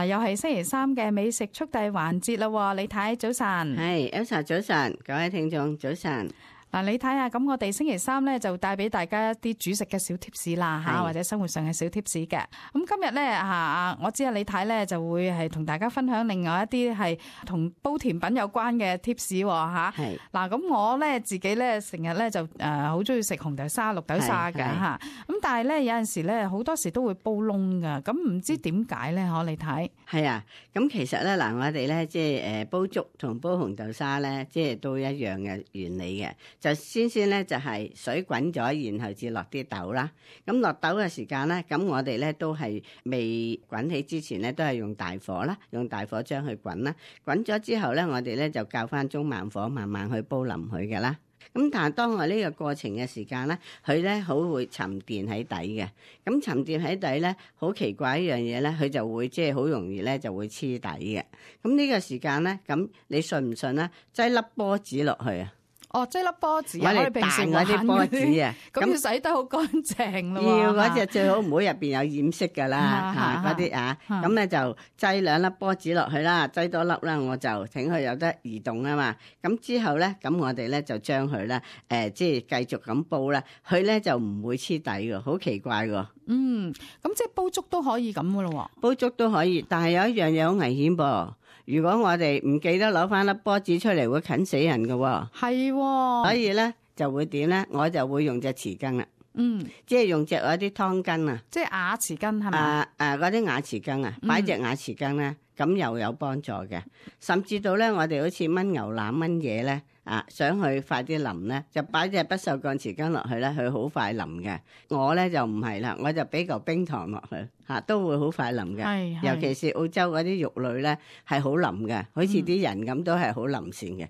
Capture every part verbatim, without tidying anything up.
嗱，又係星期三嘅美食速遞環節啦，李太早晨。係 Elsa 早晨，各位聽眾早晨。嗱，你睇下，咁我哋星期三咧就帶俾大家一啲煮食嘅小貼士啦吓，或者生活上嘅小貼士嘅。咁今日咧吓，我知啊李太咧就會係同大家分享另外一啲係同煲甜品有關嘅貼士吓。係嗱，咁我咧自己咧成日咧就誒好中意食紅豆沙、綠豆沙嘅吓。咁但係咧有陣時咧好多時都會煲燶噶，咁唔知點解咧？可你睇係啊，咁其實咧嗱，我哋咧即係誒煲粥同煲紅豆沙咧，即係都一樣嘅原理嘅。就先先咧就係水滾咗，然後至落啲豆啦。咁落豆嘅時間咧，咁我哋咧都係未滾起之前咧，都係用大火啦，用大火將佢滾啦。滾咗之後咧，我哋咧就較翻中慢火，慢慢去煲腍佢嘅啦。咁但係當我呢個過程嘅時間咧，佢咧好會沉澱喺底嘅。咁沉澱喺底咧，好奇怪一樣嘢咧，佢就會即係好容易咧就會黐底嘅。咁呢個時間咧，咁你信唔信咧？擠粒波子落去啊！哦，即係粒波子，我哋平時嗰啲波子啊，咁要洗得好乾淨咯。要嗰隻最好唔好入邊有染色噶啦，吓嗰啲啊，咁咧就擠兩粒波子落去啦，擠多粒啦，我就請佢有得移動啊嘛。咁之後咧，咁我哋咧就將佢咧，誒，即係繼續咁煲啦，佢咧就唔會黐底噶，好奇怪噶。嗯，咁即係煲粥都可以咁噶咯？煲粥都可以，但係有一樣嘢好危險噃。如果我哋唔記得攞翻粒波子出嚟，會啃死人噶。係、哦，所以咧就會點咧？我就會用隻匙羹啦。嗯，即係用隻嗰啲湯羹啊，即係瓦匙羹係咪？啊啊，嗰啲瓦匙羹啊，擺隻瓦匙羹咧，咁又有幫助嘅。甚至到咧，我哋好似炆牛腩炆嘢咧。啊，想去快啲腍咧，就擺隻不鏽鋼匙羹落去咧，佢好快腍嘅。我咧就唔係啦，我就俾嚿冰糖落去，吓、啊、都會好快腍嘅。尤其是澳洲嗰啲肉類咧，係好腍嘅，好似啲人咁都係好腍線嘅。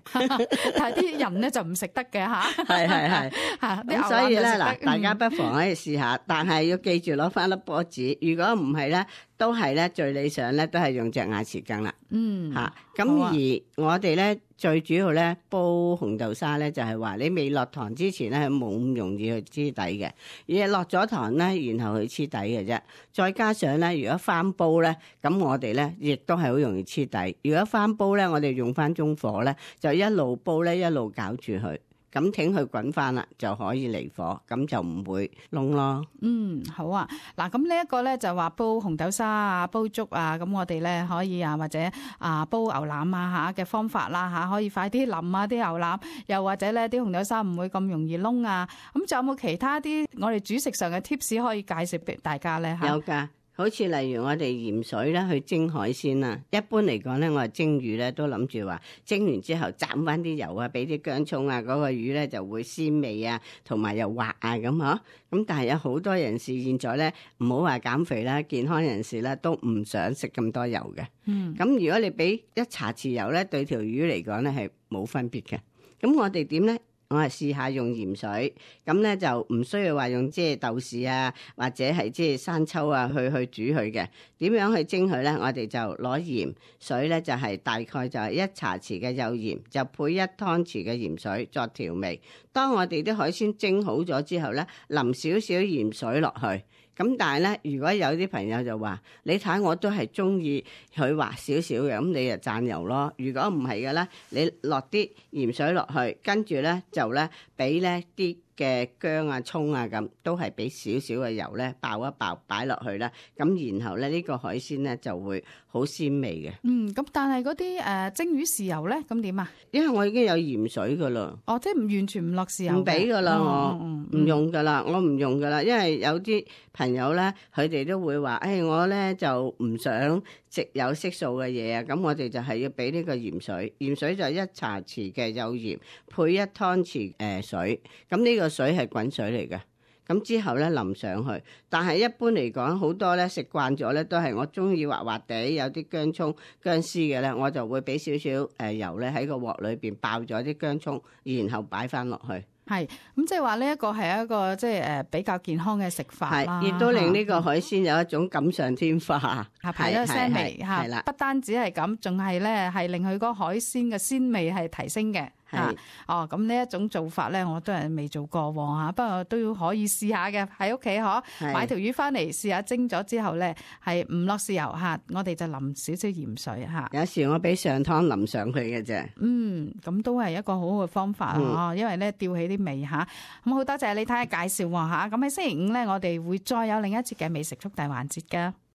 但係啲人咧就唔食得嘅吓。係係係吓，咁所以咧嗱，大家不妨可以試下，但係要記住攞翻粒波子。如果唔係咧，都係咧最理想咧，都係用隻瓦匙羹啦。嗯，吓咁、啊、而我哋咧。最主要咧煲紅豆沙咧就係話你未落糖之前咧係冇咁容易去黐底嘅，而係落咗糖咧然後去黐底嘅啫。再加上咧如果翻煲咧，咁我哋咧亦都係好容易黐底。如果翻煲咧，我哋用翻中火咧，就一路煲咧一路攪住佢。咁挺佢滾翻啦，就可以離火，咁就唔會燶咯。嗯，好啊。嗱，咁呢一個咧就話煲紅豆沙啊，煲粥啊，咁我哋咧可以啊，或者啊煲牛腩啊吓嘅方法啦吓，可以快啲腍啊啲牛腩，又或者咧啲紅豆沙唔會咁容易燶啊。咁仲有冇其他啲我哋煮食上嘅 tips 可以介紹俾大家咧？有噶。好似例如我哋鹽水咧去蒸海鮮啦，一般嚟講咧，我係蒸魚咧都諗住話蒸完之後斬翻啲油啊，俾啲薑蔥啊，嗰個魚咧就會鮮味啊，同埋又滑啊咁嗬。咁但係有好多人士現在咧唔好話減肥啦，健康人士咧都唔想食咁多油嘅。嗯，咁如果你俾一茶匙油咧，對條魚嚟講咧係冇分別嘅。咁我哋點咧？我係試下用鹽水，咁咧就唔需要話用即係豆豉啊，或者係即係生抽啊去去煮佢嘅。點樣去蒸佢咧？我哋就攞鹽水咧，就係大概就係一茶匙嘅幼鹽，就配一湯匙嘅鹽水作調味。當我哋啲海鮮蒸好咗之後咧，淋少少鹽水落去。咁但係咧，如果有啲朋友就話，你睇我都係中意佢滑少少嘅，咁你就蘸油咯。如果唔係嘅咧，你落啲鹽水落去，跟住咧就咧俾咧啲嘅薑啊、蔥啊咁，都係俾少少嘅油咧爆一爆，擺落去啦。咁然後咧呢個海鮮咧就會好鮮味嘅。嗯，咁但係嗰啲誒蒸魚豉油咧，咁點啊？因為我已經有鹽水噶啦。哦，即係唔完全唔落豉油。唔俾噶啦，我唔用噶啦，我唔用噶啦，因為有啲朋友咧，佢哋都會話，誒、哎，我咧就唔想食有色素嘅嘢啊，咁我哋就係要俾呢個鹽水，鹽水就一茶匙嘅幼鹽配一湯匙誒水，咁呢個水係滾水嚟嘅，咁之後咧淋上去。但係一般嚟講，好多咧食慣咗咧，都係我中意滑滑地，有啲薑蔥薑絲嘅咧，我就會俾少少誒油咧喺個鑊裏邊爆咗啲薑蔥，然後擺翻落去。係，咁即係話呢一個係一個即係誒比較健康嘅食法啦，亦都令呢個海鮮有一種錦上添花，係排咗腥味吓，係啦，不單止係咁，仲係咧係令佢嗰個海鮮嘅鮮味係提升嘅。嚇。哦，咁呢一種做法咧，我都係未做過喎嚇，不過都要可以試下嘅，喺屋企嗬，買條魚翻嚟試下蒸咗之後咧，係唔落豉油嚇，我哋就淋少少鹽水嚇。有時我俾上湯淋上去嘅啫。嗯，咁都係一個好好嘅方法啊、嗯，因為咧吊起啲味嚇。咁好多謝李太嘅介紹喎嚇。咁喺星期五咧，我哋會再有另一節嘅美食速遞環節㗎。